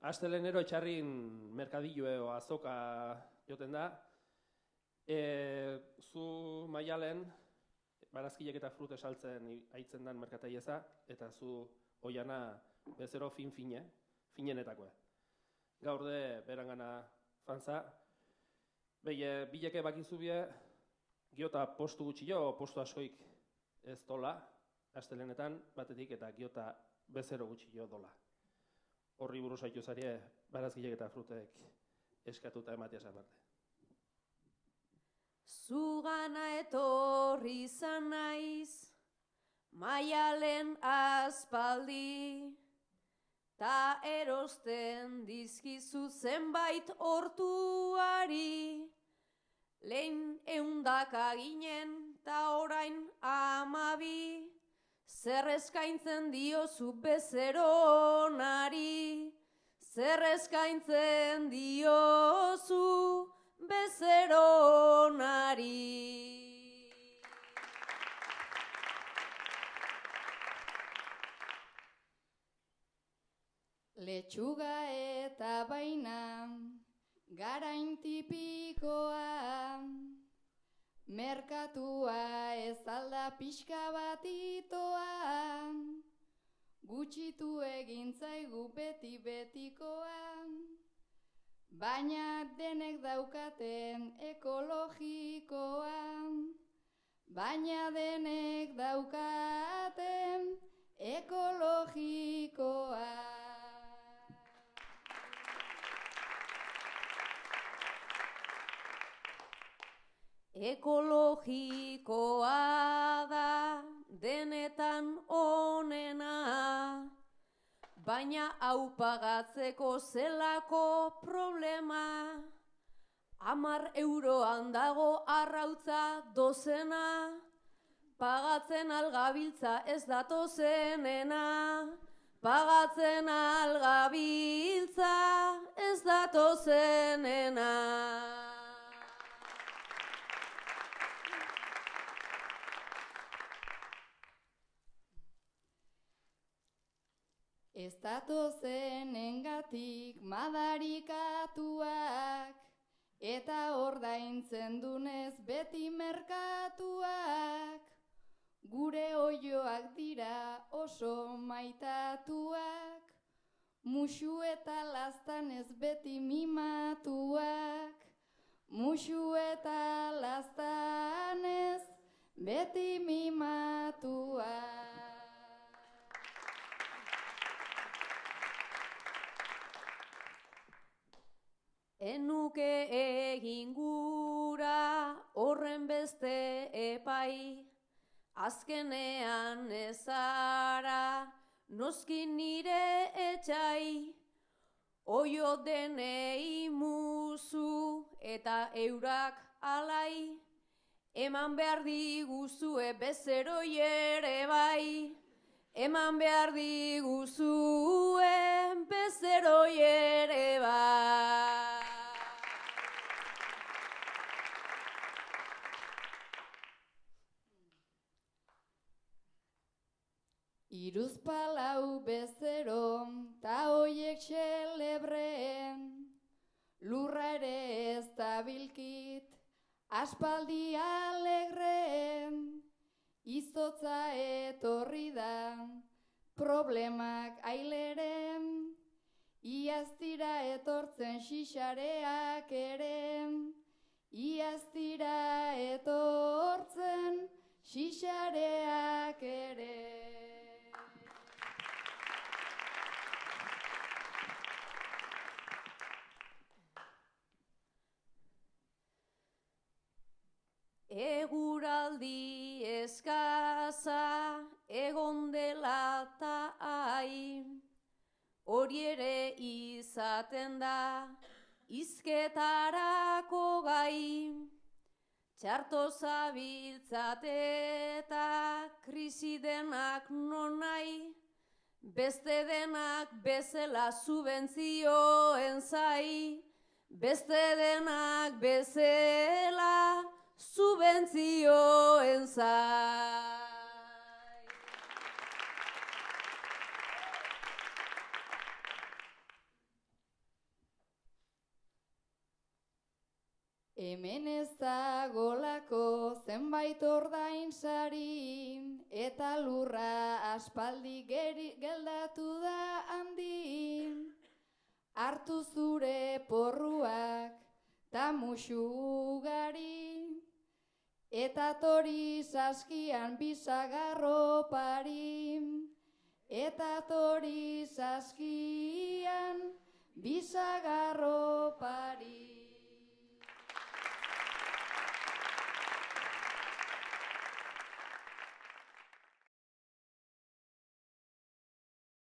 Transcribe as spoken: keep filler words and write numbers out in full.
Astelenero etxarrin merkadillo azoka joten da. E, zu maialen, barazkilek eta frute saltzen aitzen dan merkataieza, eta zu oiana bezero fin-fine, finenetakoa. Gaur de berangana fanza, behi bileke bakizu bie, giota postu gutxio, postu askoik ez dola, astelenetan batetik eta giota bezero gutxio dola. Horri buruz haitu zarie, barazkilek eta frutek eskatuta ematea zabarte. Zugana etorri izan naiz, maialen aspaldi, ta erosten dizkizu zenbait hortuari, lehen eundaka ginen, ta orain amabi, zer eskaintzen diozu bezeronari, zer eskaintzen diozu bezeronari. Letxuga eta baina, garain tipikoa, merkatua ez alda pixka bat itoa, gutxitu egin zaigu beti betikoa, baina denek daukaten ekologikoa, baina denek daukaten ekologikoa. Ekologikoa da denetan onena, baina hau pagatzeko zelako problema. Hamar euroan dago arrautza dozena, pagatzen algabiltza ez datozenena, pagatzen algabiltza ez datozenena. Ez datozenengatik madarikatuak, eta ordaintzen dunez beti merkatuak, gure oioak dira oso maitatuak, musu eta laztanez beti mimatuak, musu eta laztanez beti mimatuak. Enuke egin gura horren beste epai, azkenean ezara noski nire etxai, oio denei muzu eta eurak alai, eman behar diguzue bezeroi ere bai, eman behar diguzue bezeroi ere bai. Iruzpalau bezero, ta hoiek xelebreen, lurra ere ez dabilkit, aspaldi alegreen, izotza etorri da, problemak aileren, iaz dira etortzen xixareak ere, iaz dira etortzen xixareak ere. Eguraldi eskaza egon dela ta ai, hori ere izaten da izketarako gai, txarto zabiltzate eta krisi denak non nahi, beste denak bezala subentzioen zai, beste denak bezala subentzioen zai. Hemen ez dagolako zenbait ordain sari, eta lurra aspaldi geri, geldatu da handi. Hartu zure porruak ta musu ugari, eta tori saskian bisagarro pari, eta tori saskian bisagarro pari.